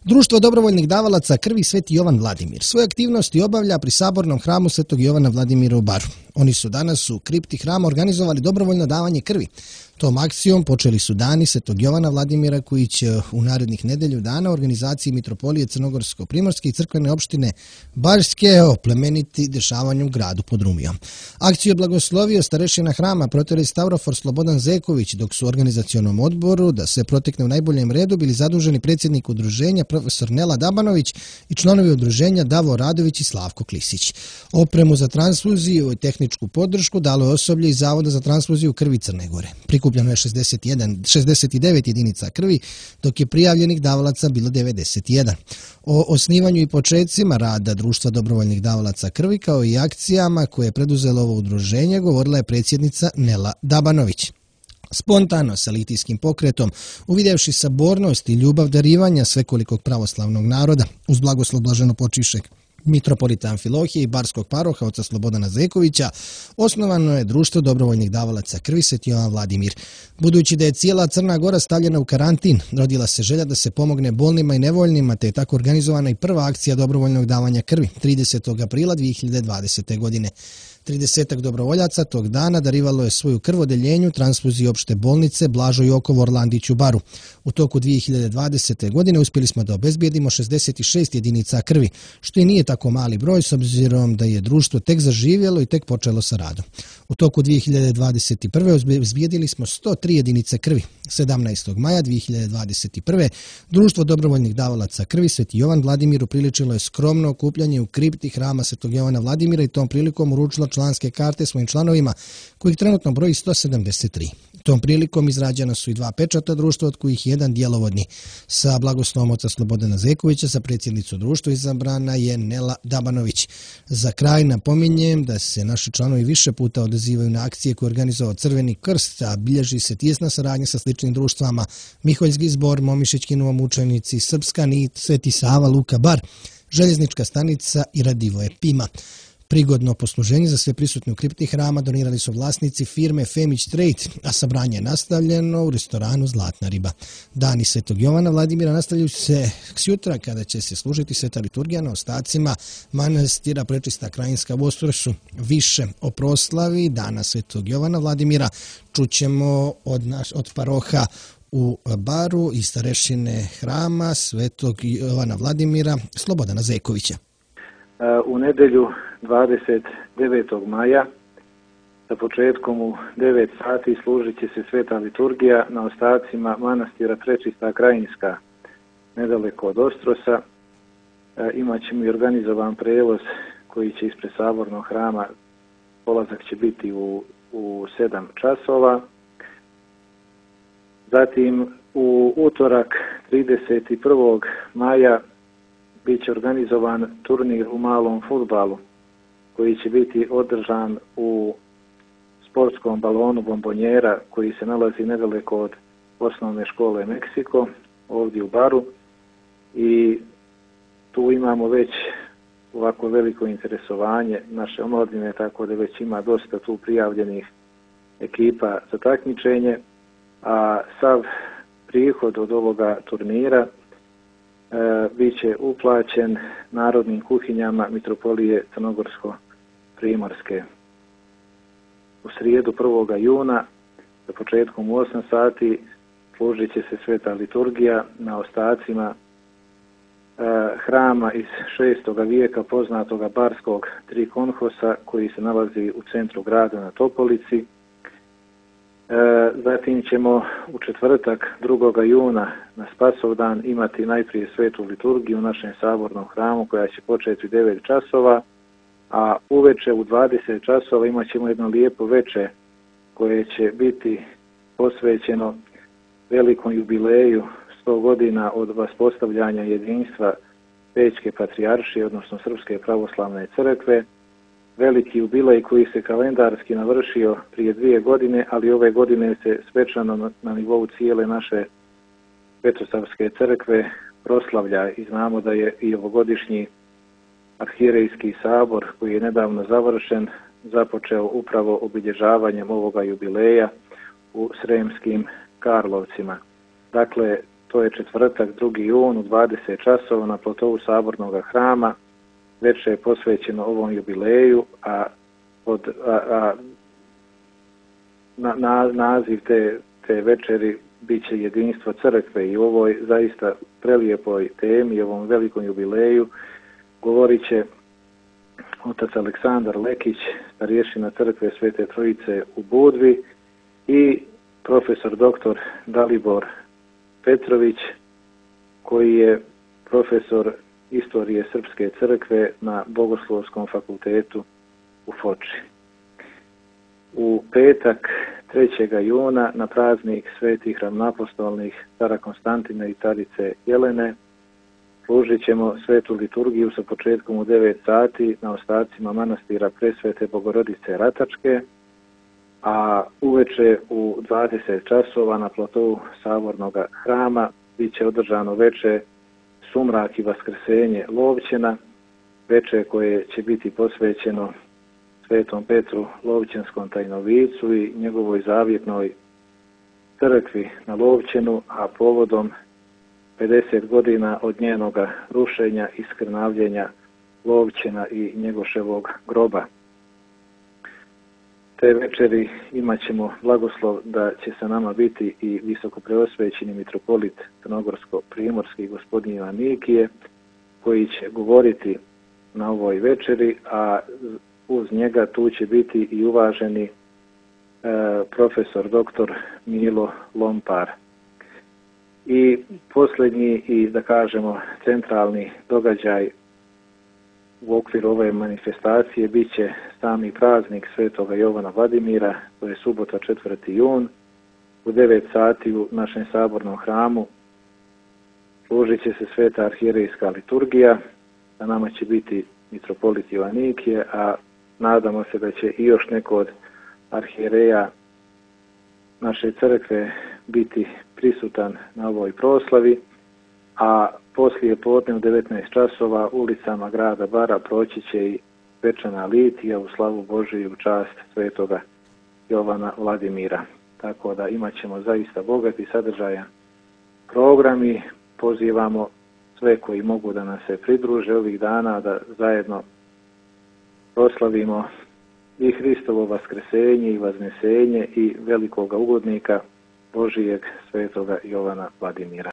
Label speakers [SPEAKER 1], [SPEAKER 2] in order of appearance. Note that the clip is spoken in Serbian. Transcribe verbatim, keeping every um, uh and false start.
[SPEAKER 1] Društvo dobrovoljnih davalaca krvi Sveti Jovan Vladimir svoje aktivnosti obavlja pri Sabornom hramu Svetog Jovana Vladimira u Baru. Oni su danas u kripti hrama organizovali dobrovoljno davanje krvi. Tom akcijom počeli su dani Svetog Jovana Vladimira koji će u narednih nedelju dana u organizaciji Mitropolije Crnogorsko-Primorske i crkvene opštine Barske oplemeniti dešavanje u gradu pod Rumijom. Akciju je blagoslovio starešina hrama protorej Stavrofor Slobodan Zeković, dok su u organizacionom odboru da se protekne u najboljem redu bili zaduženi predsjednik udruženja profesor Nela Dabanović i članovi udruženja Davo Radović i Slavko Klisić. Opremu za transfuziju i tehničku podršku dalo je osoblje iz Zavoda za transfuziju krvi Crne Gore. Prikupljeno je šezdeset jedan, šezdeset devet jedinica krvi, dok je prijavljenih davalaca bilo devedeset jedan. O osnivanju i početcima rada Društva dobrovoljnih davalaca krvi kao i akcijama koje je preduzelo ovo udruženje govorila je predsjednica Nela Dabanović. Spontano, sa litijskim pokretom, uvidjevši sabornost i ljubav darivanja svekolikog pravoslavnog naroda, uz blagoslov blaženopočivšeg mitropolita Amfilohije i barskog paroha oca Slobodana Zekovića, osnovano je Društvo dobrovoljnih davalaca krvi Sveti Jovan Vladimir. Budući da je cijela Crna Gora stavljena u karantin, rodila se želja da se pomogne bolnima i nevoljnima, te je tako organizovana i prva akcija dobrovoljnog davanja krvi tridesetog aprila dvije hiljade dvadesete. godine. tridesetak dobrovoljaca tog dana darivalo je svoju krv odeljenju transfuziji opšte bolnice Blažo Jokov Orlandić u Baru. U toku dvije hiljade dvadesete. godine uspjeli smo da obezbijedimo šezdeset šest jedinica krvi, što i nije tako mali broj s obzirom da je društvo tek zaživjelo i tek počelo sa radom. U toku dvije hiljade dvadeset prve. obezbijedili smo sto tri jedinice krvi. sedamnaestog maja dvije hiljade dvadeset prve. Društvo dobrovoljnih davalaca krvi Sveti Jovan Vladimir upriličilo je skromno okupljanje u kripti hrama Svetog Jovana Vladimira i tom prilikom uručilo članske karte svojim članovima, kojih trenutno broji sto sedamdeset tri. Tom prilikom izrađena su i dva pečata društva, od kojih jedan djelovodni. Sa blagoslovom oca Slobodana Zekovića za predsjednicu društva izabrana je Nela Dabanović. Za kraj napominjem da se naši članovi više puta odazivaju na akcije koje je organizovao Crveni krst, a bilježi se tijesna saradnja sa sličnim društvama Miholjski zbor, Momišićki novomučenici, Srpska nit, Sveti Sava, Luka Bar, Željeznička stanica i Radivoje Pima. Prigodno posluženje za sve prisutne u kripti hrama donirali su vlasnici firme Femić Trade, a sabranje je nastavljeno u restoranu Zlatna riba. Dani Svetog Jovana Vladimira nastavljaju se sjutra kada će se služiti sveta liturgija na ostacima manastira Prečista Krajinska u Ostrosu. Više o proslavi Dana Svetog Jovana Vladimira čućemo od, naš, od paroha u Baru i starešine hrama Svetog Jovana Vladimira Slobodana Zekovića.
[SPEAKER 2] U nedelju dvadeset devetog maja sa početkom u devet sati služit će se sveta liturgija na ostacima manastira Prečista Krajinska nedaleko od Ostrosa. Imaćemo i organizovan prevoz koji će ispred Sabornog hrama, polazak će biti u, u sedam časova. Zatim u utorak trideset prvog maja bit će organizovan turnir u malom fudbalu koji će biti održan u sportskom balonu Bombonjera koji se nalazi nedaleko od osnovne škole Meksiko, ovdje u Baru. I tu imamo već ovako veliko interesovanje naše omladine, tako da već ima dosta tu prijavljenih ekipa za takmičenje, a sav prihod od ovoga turnira E, bit će uplaćen narodnim kuhinjama Mitropolije Crnogorsko-Primorske. U srijedu prvog juna sa početkom u osam sati služit će se sveta liturgija na ostacima e, hrama iz šestog vijeka poznatoga barskog trikonhosa koji se nalazi u centru grada na Topolici. Zatim ćemo u četvrtak drugog juna na Spasovdan imati najprije svetu liturgiju u našem sabornom hramu koja će početi u devet časova, a uveče u dvadeset časova imat ćemo jedno lijepo veče koje će biti posvećeno velikom jubileju sto godina od vaspostavljanja jedinstva Pećke patrijaršije, odnosno Srpske pravoslavne crkve. Veliki jubilej koji se kalendarski navršio prije dvije godine, ali ove godine se svečano na, na nivou cijele naše Petrosavske crkve proslavlja i znamo da je i ovogodišnji arhierejski sabor koji je nedavno završen započeo upravo obilježavanjem ovoga jubileja u Sremskim Karlovcima. Dakle, to je četvrtak, drugi jun u dvadeset časova na platovu Sabornog hrama. Veče je posvećeno ovom jubileju, a, od, a, a na, na, naziv te, te večeri bit će jedinstvo crkve i u ovoj zaista prelijepoj temi, ovom velikom jubileju, govorit će otac Aleksandar Lekić, starješina crkve Svete Trojice u Budvi i profesor doktor Dalibor Petrović, koji je profesor istorije Srpske crkve na Bogoslovskom fakultetu u Foči. U petak trećeg juna na praznik svetih ravnoapostolnih cara Konstantina i carice Jelene služit ćemo svetu liturgiju sa početkom u devet sati na ostacima manastira Presvete Bogorodice Ratačke, a uveče u dvadeset časova na platovu Sabornog hrama bit će održano veče Sumrak i Vaskrsenje Lovćena, veče koje će biti posvećeno Svetom Petru Lovćenskom tajnovicu i njegovoj zavjetnoj crkvi na Lovćenu, a povodom pedeset godina od njenoga rušenja i skrnavljenja Lovćena i Njegoševog groba. Te večeri imat ćemo blagoslov da će sa nama biti i visokopreosvećeni mitropolit Crnogorsko-primorski gospodin Joanikije, koji će govoriti na ovoj večeri, a uz njega tu će biti i uvaženi e, profesor doktor Milo Lompar. I posljednji i da kažemo centralni događaj u okviru ove manifestacije bit će sami praznik Svetoga Jovana Vladimira, to je subota četvrti jun, u devet sati u našem sabornom hramu služit će se sveta arhijerejska liturgija, a nama će biti mitropolit Joanikije, a nadamo se da će i još neko od arhijereja naše crkve biti prisutan na ovoj proslavi, a poslije podne u devetnaest časova ulicama grada Bara proći će i svečana litija u slavu Božiju u čast svetoga Jovana Vladimira. Tako da imat ćemo zaista bogat i sadržajan program i pozivamo sve koji mogu da nas se pridruže ovih dana da zajedno proslavimo i Hristovo vaskrsenje i vaznesenje i velikoga ugodnika Božijeg svetoga Jovana Vladimira.